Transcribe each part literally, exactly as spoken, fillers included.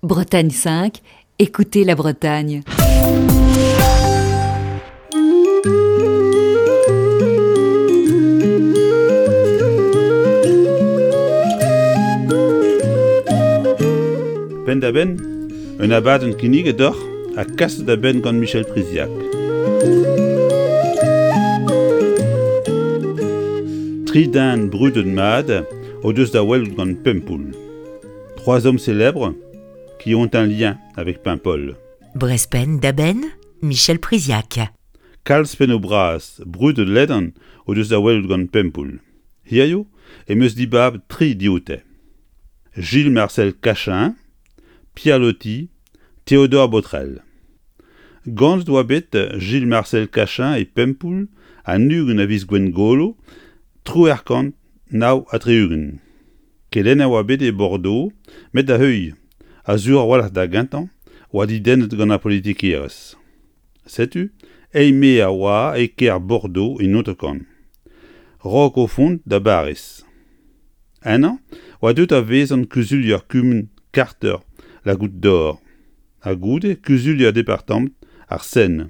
Bretagne cinq, écoutez la Bretagne. Penn-da-benn, un abadenn kinniget deoc'h ha kaset da benn gant Michel Priziac. Tri den brudet mat o deus da welout gant Pempoull. Trois hommes célèbres qui ont un lien avec Paimpol. Brest Penn-da-Benn, Michel Priziac. Kalz pennoù bras brudet ledan o deus da welout gant Pempoull. Hiziv em eus dibabet tri dioute. Gilles Marcel Cachin, Pierre Loti, Théodore Botrel. Ganet oa bet Gilles Marcel Cachin e Pempoull an ugent a viz Gwengolo triwec'h kant nav ha tri-ugent. Kelenner oa bet e Bordeaux, met da heuilh, ha sur a-walc'h da gentañ, oa dedennet gant ar politikerezh. Setu, eil-maer a oa e kêr Bordeaux en hanter-kant. Raok o vont da Bariz. Ennañ oa deuet da vezañ kuzulier kumun karter La Goutte d'Or, ha goude kuzulier departamant ar Seine,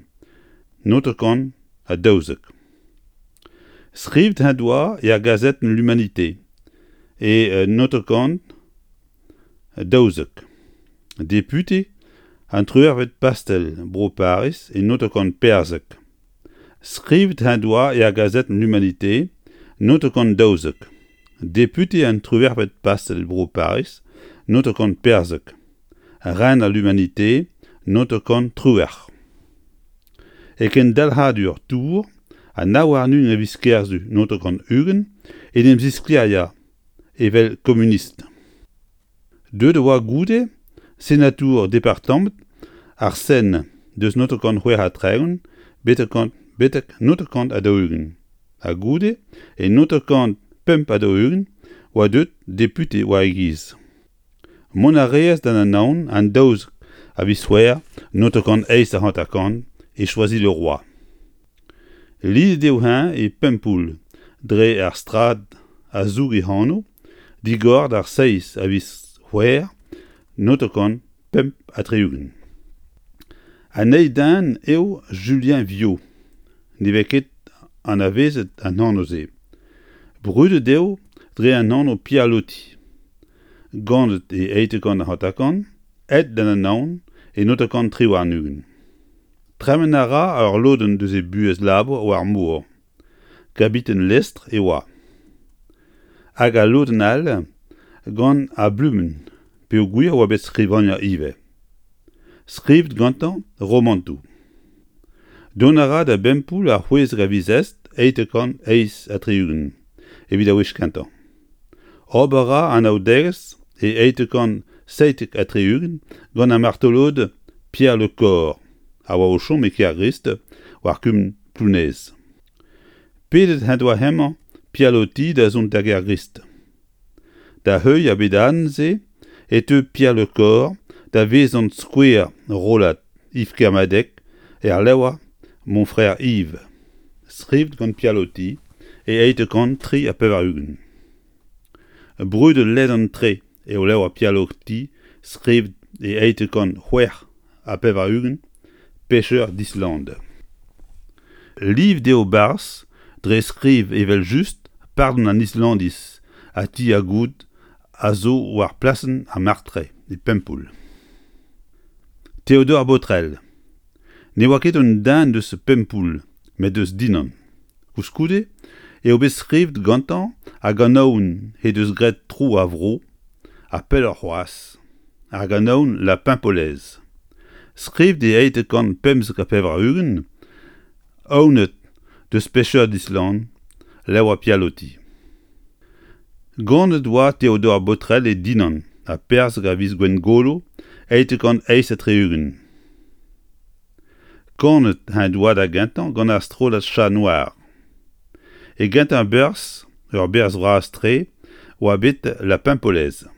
hanter-kant ha daouzek. Skrivet en doa er gazetenn L'Humanité e hanter-kant daouzek. Depute an triwec'hvet pastell bro Pariz e hanter-kant perzek. Skrivet en doa er gazetenn L'Humanité hanter-kant daouzek. Depute an triwec'hvet pastell bro Pariz hanter-kant perzek. Rener L'Humanité hanter-kant triwec'h. E kendalc'hadur Tours an nav warn-ugent a viz Kerzu hanter-kant ugent en em zisklêriañ evel komunist. Deuet e oa goude senatour departamant ar Seine deus hanter-kant c'hwec'h ha tregont betek hanter-kant ha daou-ugent. Ha goude e hanter-kant pemp ha daou-ugent oa deuet depute war e giz. Mont a reas d'an Anaon an daouzek a viz C'hwevrer hanter-kant eizh ha hanter-kant e Choisy-le-Roi. Lidet eo-eñ e Pempoull dre ar strad a zoug e anv, digor d'ar seizh a viz C'hwevrer hanter-kant pemp ha tri-ugent. An eil den eo Julien Viau, ne vez ket anavezet an anv-se. Brudet eo dre an anv Pierre Loti. Ganet e eizh kant hanter-kant, aet d'an Anaon e hanter-kant tri warn-ugent. Tremen a ra ur lodenn deus e buhez labour war ar mor. Kabiten lestr e oa. Hag al lodenn all gant ar bluenn peogwir e oa bet skrivagner ivez. Skrivet gantañ romantoù. Dont a ra da Bempoull ar c'hwezek a viz Est eizh kant eizh ha tri-ugent evit ar wech kentañ. Ober a ra anaoudegezh e eizh kant seitek ha tri-ugent gant ar martolod Pierre Le Corre a oa o chom e Kergrist war kumun Plounez. Pedet en doa hemañ Pierre Loti da zont da Gergrist. Da heuilh ar bedadenn-se e teu Pierre Le Corre da vezañ skouer rollad Yves Kermadec er levr Mon frère Yves, skrivet gant Pierre Loti e eizh kant tri ha pevar-ugent. Brudet ledan-tre eo levr Pierre Loti skrivet e eizh kant c'hwec'h ha pevar-ugent Pêcheur d'Islande. Livet eo barzh dre skriv evel-just pardon an Islandiz ha ti ar Goud a zo war plasenn ar Martray e Pempoull. Théodore Botrel ne oa ket un den deus Pempoull met deus Dinan. Koulskoude eo bet skrivet gantañ ar ganaouenn he deus graet tro ar vro ha pelloc'h c'hoazh, ar ganaouenn La Paimpolaise. Skrivet e eizh kant pemzek ha pevar-ugent, awenet deus Pêcheur d'Islande, levr Pierre Loti. Ganet oa Théodore Botrel e Dinan ha perzek a viz Gwengolo eizh kant eizh ha tri-ugent. Kanet en doa da gentañ gant ar strollad Chat Noir. E gentañ berzh, ur berzh bras-tre, oa bet La Paimpolaise.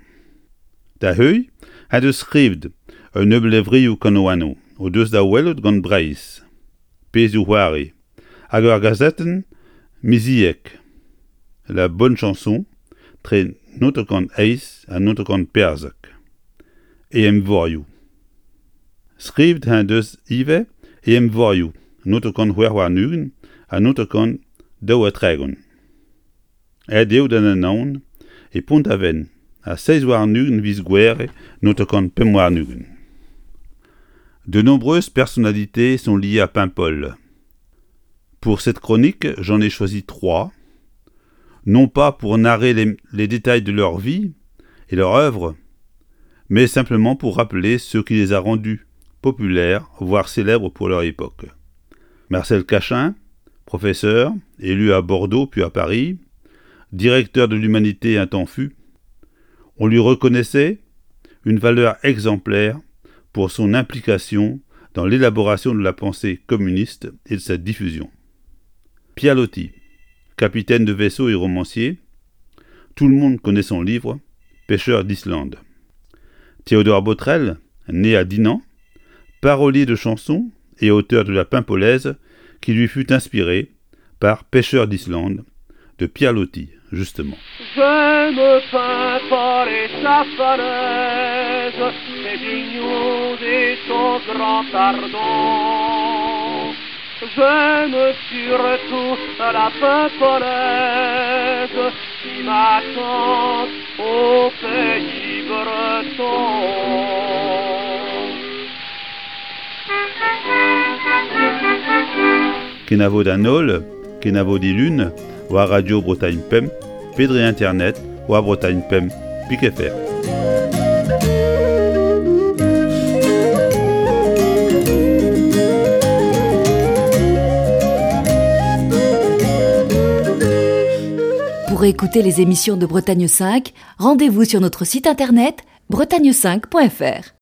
Da heuilh en deus skrivet un nebeud levrioù kanaouennoù o deus da welout gant Breizh, pezhioù-c'hoari, hag ur gazetenn miziek, La Bonne Chanson, tre hanter-kant eizh ha hanter-kant perzek. E eñvorioù. Skrivet en deus ivez e eñvorioù naontek c'hwec'h warn-ugent ha naontek daou ha tregont. Aet eo d'an Anaon e Pont-Aven ar seizh warn-ugent viz Gouhere naontek pemp warn-ugent. De nombreuses personnalités sont liées à Paimpol. Pour cette chronique, j'en ai choisi trois, non pas pour narrer les, les détails de leur vie et leur œuvre, mais simplement pour rappeler ce qui les a rendus populaires, voire célèbres pour leur époque. Marcel Cachin, professeur, élu à Bordeaux puis à Paris, directeur de l'Humanité un temps fut, on lui reconnaissait une valeur exemplaire pour son implication dans l'élaboration de la pensée communiste et de sa diffusion. Pierre Loti, capitaine de vaisseau et romancier, tout le monde connaît son livre Pêcheur d'Islande. Théodore Botrel, né à Dinan, parolier de chansons et auteur de la Paimpolaise qui lui fut inspirée par Pêcheur d'Islande de Pierre Loti, justement. J'aime Paimpol et sa falaise, ses vignons et son grand ardon. J'aime surtout la Paimpolaise qui m'attend au pays breton. Kenavo d'an holl, kenavo dilun, war Radio Bretagne Pemp, pe dre internet, war Bretagne Pemp, pik F R. Pour écouter les émissions de Bretagne cinq, rendez-vous sur notre site internet bretagne cinq point F R.